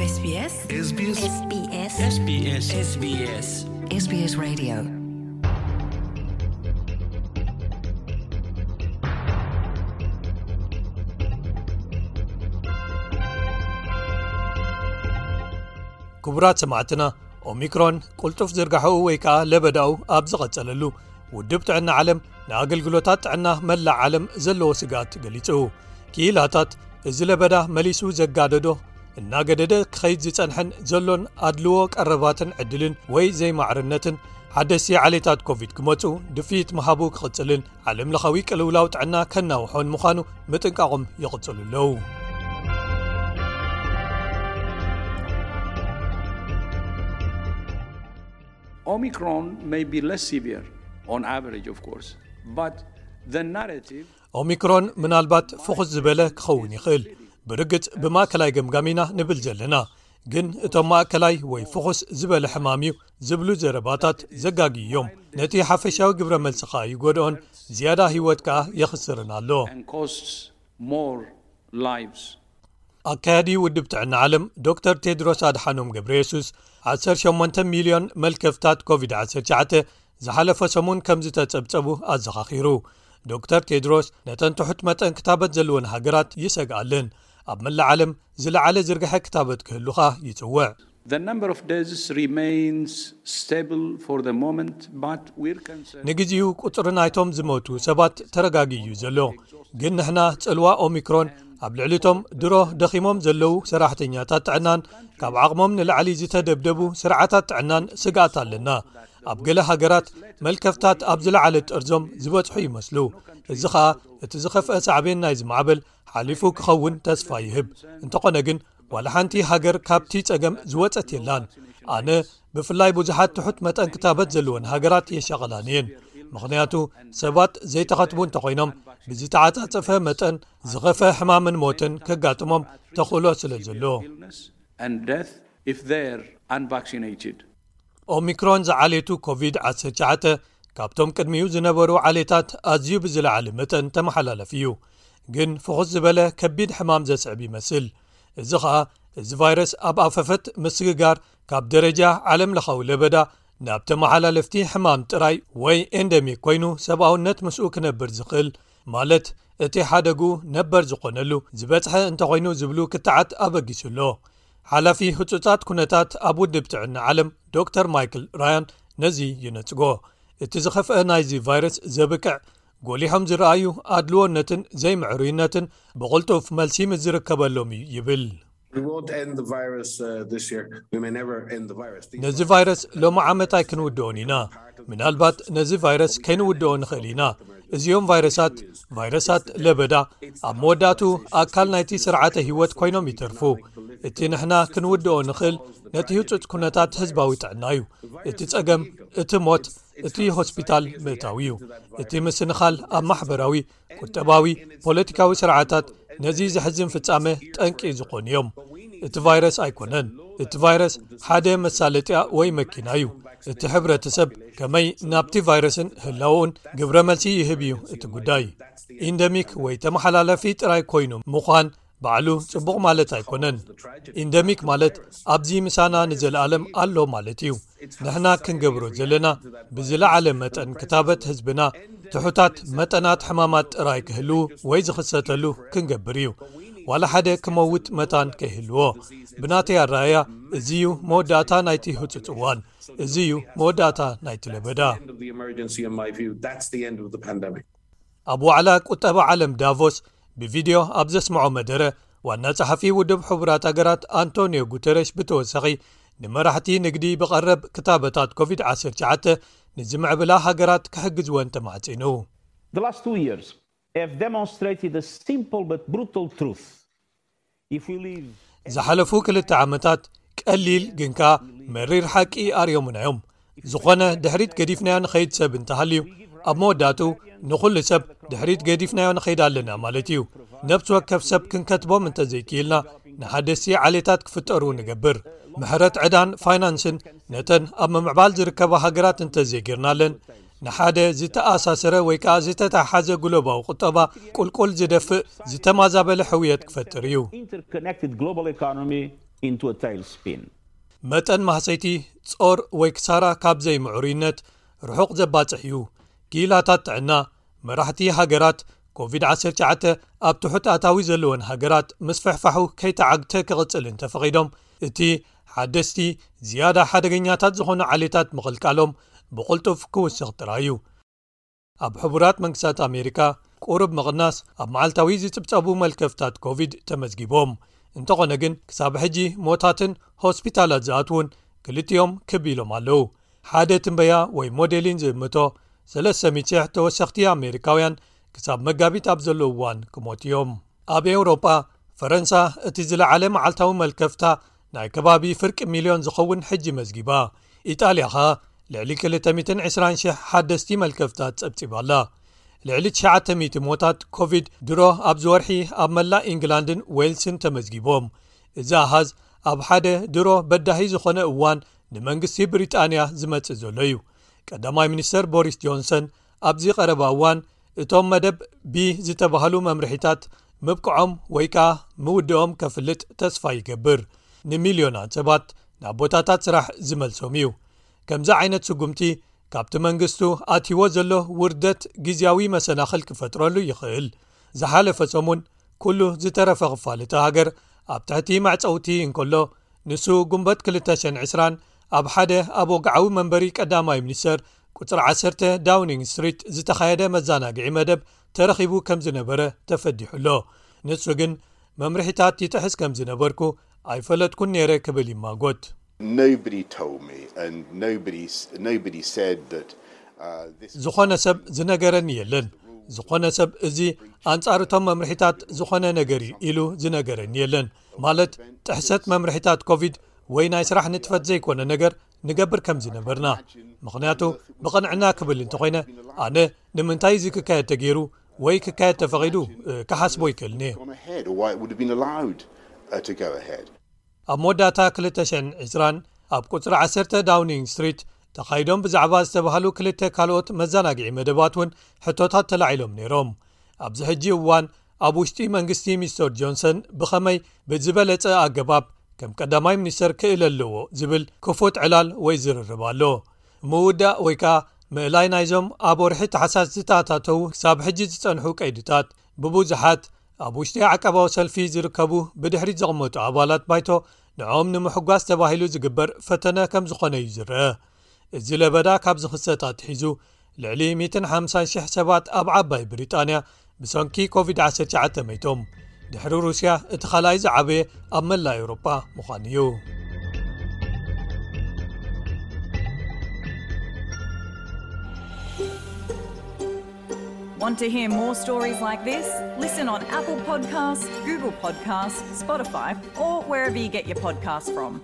SBS SBS SBS SBS SBS Radio. ክቡራት ሰማዕትና፣ ኦሚክሮን ቅልጡፍ ዝርጋሐኡ ወይ ከኣ ለበዳኡ ኣብ ዝቐጸለሉ፣ ውድብ ጥዕና ዓለም ንኣገልግሎታት ጥዕና መላእ ዓለም ዘለዎ ስግኣት ገሊጹ። ክኢላታት፣ እዚ ለበዳ መሊሱ ዘጋደዶ፣ እናገደደ ክኸይድ ዝጸንሐን ዘሎን ኣድልዎ ቀረባትን ዕድልን ወይ ዘይማዕርነትን፣ ሓደስቲ ዓሌታት ኮቪድ ክመጹ ድፍኢት ምሃቡ ክቕጽልን ዓለም ለኻዊ ቅልውላው ጥዕና ከናውሖን ምዃኑ ምጥንቃቖም ይቕጽሉ ኣለዉ። Omicron may be less severe on average, of course, but the narrative ኦሚክሮን ምናልባት ፍኹስ ዝበለ ክኸውን ይኽእል። ብርግጽ ብማእከላይ ገምጋም ኢና ንብል ዘለና። ግን እቶም ማእከላይ ወይ ፍኹስ ዝበለ ሕማም እዩ ዝብሉ ዘረባታት ዘጋግዩ እዮም። ነቲ ሓፈሻዊ ግብረ መልሲ ከኣ ይጎድኦን ዝያዳ ህይወት ከኣ የኽስርን ኣሎ። and costs more lives. ኣካያዲ ውድብ ጥዕና ዓለም ዶክተር ቴድሮስ ኣድሓኖም ገብረ የሱስ ዓሰርተ ሸሞንተ ሚልዮን መልከፍታት ኮቪድ ዓሰርተ ትሽዓተ ዝሓለፈ ሰሙን ከም ዝተጸብጸቡ ኣዘኻኺሩ። ዶክተር ቴድሮስ ነተን ትሑት መጠን ክታበት ዘለወን ሃገራት ይሰግኣለን። ኣብ መላእ ዓለም ዝለዓለ ዝርግሐ ክታበት ክህሉኻ ይጽውዕ። The number of deaths remains stable for the moment, but we're concerned. ንግዚኡ ቁጽሪ ናይቶም ዝሞቱ ሰባት ተረጋጊ እዩ ዘሎ። ግን ንሕና ጽልዋ ኦሚክሮን ኣብ ልዕሊቶም ድሮ ደኺሞም ዘለዉ ሰራሕተኛታት ጥዕናን ካብ ዓቕሞም ንላዕሊ ዝተደብደቡ ስርዓታት ጥዕናን ስግኣት ኣለና። ኣብ ገለ ሃገራት መልከፍታት ኣብ ዝለዓለ ጠርዞም ዝበጽሑ ይመስሉ። እዚ ኸኣ እቲ ዝኸፍአ ሳዕቤን ናይዚ ማዕበል ሓሊፉ ክኸውን ተስፋ ይህብ። እንተኾነ ግን ዋላ ሓንቲ ሃገር ካብቲ ጸገም ዝወጸት የላን። ኣነ ብፍላይ ብዙሓት ትሑት መጠን ክታበት ዘለወን ሃገራት የሻቐላን እየን። ምኽንያቱ ሰባት ዘይተኸትቡ እንተኾይኖም ብዝተዓጻጸፈ መጠን ዝኸፈ ሕማምን ሞትን ከጋጥሞም ተኽእሎ ስለ ዘሎ። And death if they're unvaccinated. ኦሚክሮን ዝዓሌቱ ኮቪድ ዓሰርተ ትሽዓተ ካብቶም ቅድሚኡ ዝነበሩ ዓሌታት ኣዝዩ ብዝለዓለ መጠን ተመሓላለፊ እዩ። ግን ፍኹስ ዝበለ ከቢድ ሕማም ዘስዕብ ይመስል። እዚ ኸኣ እዚ ቫይረስ ኣብ ኣፈፈት ምስግጋር ካብ ደረጃ ዓለም ለኻዊ ለበዳ ናብ ተመሓላለፍቲ ሕማም ጥራይ ወይ ኤንደሚክ ኮይኑ ሰብኣውነት ምስኡ ክነብር ዝኽእል ማለት እቲ ሓደጉ ነበር ዝኾነሉ ዝበጽሐ እንተኾይኑ ዝብሉ ክትዓት ኣበጊሱ ኣሎ። ሓላፊ ህጹጻት ኩነታት ኣብ ውድብ ጥዕና ዓለም ዶክተር ማይክል ራያን ነዚ ይነጽጎ። እቲ ዝኸፍአ ናይዚ ቫይረስ ዘብቅዕ ጎሊሖም ዝረኣዩ ኣድልዎነትን ዘይምዕሩይነትን ብቕልጡፍ መልሲ ምስ ዝርከበሎም እዩ ይብል። We won't end the virus uh, this year. We may never end the virus. These ነዚ ቫይረስ ሎሚ ዓመት ኣይክንውድኦን ኢና። ምናልባት ነዚ ቫይረስ ከይንውድኦ ንኽእል ኢና። እዚኦም ቫይረሳት ቫይረሳት ለበዳ ኣብ መወዳእቱ ኣካል ናይቲ ስርዓተ ህይወት ኮይኖም ይተርፉ። እቲ ንሕና ክንውድኦ ንኽእል ነቲ ህጹጽ ኩነታት ህዝባዊ ጥዕና እዩ። እቲ ጸገም እቲ ሞት እቲ ሆስፒታል ምእታው እዩ። እቲ ምስንኻል ኣብ ማሕበራዊ፣ ቁጠባዊ፣ ፖለቲካዊ ስርዓታት ነዚ ዘሕዝን ፍጻመ ጠንቂ ዝኾኑ እዮም። እቲ ቫይረስ ኣይኮነን። እቲ ቫይረስ ሓደ መሳለጥያ ወይ መኪና እዩ። እቲ ሕብረተሰብ ከመይ ናብቲ ቫይረስን ህላወኡን ግብረ መልሲ ይህብ እዩ እቲ ጉዳይ። ኢንደሚክ ወይ ተመሓላለፊ ጥራይ ኮይኑ ምዃን ባዕሉ ጽቡቕ ማለት ኣይኮነን። ኢንደሚክ ማለት ኣብዚ ምሳና ንዘለኣለም ኣሎ ማለት እዩ። ንሕና ክንገብሮ ዘለና ብዝለዓለ መጠን ክታበት ህዝብና ትሑታት መጠናት ሕማማት ጥራይ ክህልዉ ወይ ዝኽሰተሉ ክንገብር እዩ። ዋላ ሓደ ክመውት መታን ከይህልዎ። ብናተይ ኣረኣያ እዚ እዩ መወዳእታ ናይቲ ህጹጽ እዋን። እዚ እዩ መወዳእታ ናይቲ ለበዳ። end of the emergency, in my view. That's the end of the pandemic. ኣብ ዋዕላ ቁጠባ ዓለም ዳቮስ ብቪድዮ ኣብ ዘስምዖ መደረ ዋና ጸሓፊ ውድብ ሕቡራት ሃገራት ኣንቶኒዮ ጉተረሽ ብተወሳኺ ንመራሕቲ ንግዲ ብቐረብ ክታበታት ኮቪድ ዓሰርተ ትሽዓተ ንዝምዕብላ ሃገራት ክሕግዝወን ተማሕጺኑ። The last two years have demonstrated a simple but brutal truth. If we live ዝሓለፉ ክልተ ዓመታት ቀሊል ግን ከኣ መሪር ሓቂ ኣርእዮምና እዮም። ዝኾነ ድሕሪት ገዲፍናዮ ንኸይድ ሰብ እንተሃልዩ ኣብ መወዳእቱ ንኹሉ ሰብ ድሕሪት ገዲፍናዮ ንኸይድ ኣለና ማለት እዩ። ነብሲ ወከፍ ሰብ ክንከትቦም እንተዘይክኢልና ንሓደስቲ ዓሌታት ክፍጠሩ ንገብር። ምሕረት ዕዳን ፋይናንስን ነተን ኣብ ምምዕባል ዝርከባ ሃገራት እንተዘይጌርናለን ንሓደ ዝተኣሳሰረ ወይ ከኣ ዝተተሓሓዘ ግሎባዊ ቁጠባ ቁልቁል ዝደፍእ ዝተማዛበለ ሕውየት ክፈጥር እዩ። Interconnected global economy into a tailspin. መጠን ማህሰይቲ ጾር ወይ ክሳራ ካብ ዘይምዕሩይነት ርሑቕ ዘባጽሕ እዩ። ክኢላታት ጥዕና፣ መራሕቲ ሃገራት ኮቪድ ዓሰርተ ትሽዓተ ኣብ ትሑት ኣታዊ ዘለወን ሃገራት ምስፍሕፋሑ ከይተዓግተ ክቕጽል እንተፈቒዶም፣ እቲ ሓደስቲ ዝያዳ ሓደገኛታት ዝኾኑ ዓሌታት ምቕልቃሎም ብቕልጡፍ ክውስኽ ጥራይ እዩ። ኣብ ሕቡራት መንግስታት ኣሜሪካ ቁሩብ ምቕናስ ኣብ መዓልታዊ ዝጽብጸቡ መልከፍታት ኮቪድ ተመዝጊቦም። እንተኾነ ግን ክሳብ ሕጂ ሞታትን ሆስፒታላት ዝኣትውን ክልቲኦም ክብ ኢሎም ኣለዉ። ሓደ ትንበያ ወይ ሞዴሊን ዝእምቶ ሰለስተ ሚእቲ ሽሕ ተወሰኽቲ ኣሜሪካውያን ክሳብ መጋቢት ኣብ ዘለዉ እዋን ክሞት እዮም። ኣብ ኤውሮጳ ፈረንሳ እቲ ዝለዓለ መዓልታዊ መልከፍታ ናይ ከባቢ ፍርቂ ሚልዮን ዝኸውን ሕጂ መዝጊባ። ኢጣልያ ኸኣ ልዕሊ ክልተ ሚእትን ዕስራን ሽሕ ሓደስቲ መልከፍታት ጸብጺባ ኣላ። ልዕሊ ትሽዓተ ሚእቲ ሞታት ኮቪድ ድሮ ኣብዚ ወርሒ ኣብ መላእ ኢንግላንድን ዌልስን ተመዝጊቦም። እዚ ኣሃዝ ኣብ ሓደ ድሮ በዳሂ ዝኾነ እዋን ንመንግስቲ ብሪጣንያ ዝመጽእ ዘሎ እዩ። ቀዳማይ ሚኒስተር ቦሪስ ጆንሰን ኣብዚ ቀረባ እዋን እቶም መደብ ቢ ዝተባህሉ መምርሒታት ምብቅዖም ወይ ከኣ ምውድኦም ከፍልጥ ተስፋ ይገብር። ንሚልዮናት ሰባት ናብ ቦታታት ስራሕ ዝመልሶም እዩ። ከምዚ ዓይነት ስጉምቲ ካብቲ መንግስቱ ኣትይዎ ዘሎ ውርደት ግዝያዊ መሰናኽል ክፈጥረሉ ይኽእል። ዝሓለፈ ሰሙን ኩሉ ዝተረፈ ክፋል እታ ሃገር ኣብ ትሕቲ መዕጸውቲ እንከሎ፣ ንሱ ጉንበት ክልተ ሽሕን ዕስራን ኣብ ሓደ ኣብ ወግዓዊ መንበሪ ቀዳማይ ሚኒስተር ቁጽሪ ዓሰርተ ዳውኒንግ ስትሪት ዝተኻየደ መዘናግዒ መደብ ተረኺቡ ከም ዝነበረ ተፈዲሑ ኣሎ። ንሱ ግን መምርሒታት ይጥሕስ ከም ዝነበርኩ ኣይፈለጥኩን ነይረ ክብል ይማጎት። Nobody told me, and nobody s- nobody said that uh, this. ዝኾነ ሰብ ዝነገረኒ የለን። ዝኾነ ሰብ እዚ ኣንጻር እቶም መምርሒታት ዝኾነ ነገር እዩ ኢሉ ዝነገረኒ የለን። ማለት ጥሕሰት መምርሒታት ኮቪድ ወይ ናይ ስራሕ ንጥፈት ዘይኮነ ነገር ንገብር ከም ዝነበርና። ምኽንያቱ ብቕንዕና ክብል እንተኾይነ ኣነ ንምንታይ እዚ ክካየድ ተገይሩ ወይ ክካየድ ተፈቒዱ እ፣ ክሓስቦ ይክእልኒ። Gone ahead, or why it would have been allowed uh, to go ahead. ኣብ መወዳእታ ክልተ ሽሕን ዕስራን ኣብ ቁጽሪ ዓሰርተ ዳውኒንግ ስትሪት ተኻይዶም ብዛዕባ ዝተባህሉ ክልተ ካልኦት መዘናግዒ መደባት እውን ሕቶታት ተላዒሎም ነይሮም። ኣብዚ ሕጂ እዋን ኣብ ውሽጢ መንግስቲ ሚስተር ጆንሰን ብኸመይ ብዝበለጸ ኣገባብ ከም ቀዳማይ ሚኒስተር ክእል ኣለዎ ዝብል ክፉት ዕላል ወይ ዝርርብ ኣሎ። ምውዳእ ወይ ከኣ ምእላይ ናይዞም ኣብ ወርሒ ታሕሳስ ዝተኣታተዉ ክሳብ ሕጂ ዝጸንሑ ቀይድታት ብብዙሓት ኣብ ውሽጢ ዓቀባዊ ሰልፊ ዝርከቡ ብድሕሪት ዘቕመጡ ኣባላት ባይቶ ንዕኦም ንምሕጓስ ተባሂሉ ዝግበር ፈተነ ከም ዝኾነ እዩ ዝረአ። እዚ ለበዳ ካብ ዝኽሰት ኣትሒዙ ልዕሊ ሚእትን ሓምሳን ሽሕ ሰባት ኣብ ዓባይ ብሪጣንያ ብሰንኪ ኮቪድ ዓሰርተ ትሽዓተ መይቶም። ድሕሪ ሩስያ እቲ ካልኣይ ዝዓበየ ኣብ መላእ ኤውሮጳ ምዃኑ እዩ። Want to hear more stories like this? Listen on Apple Podcasts, Google Podcasts, Spotify, or wherever you get your podcasts from.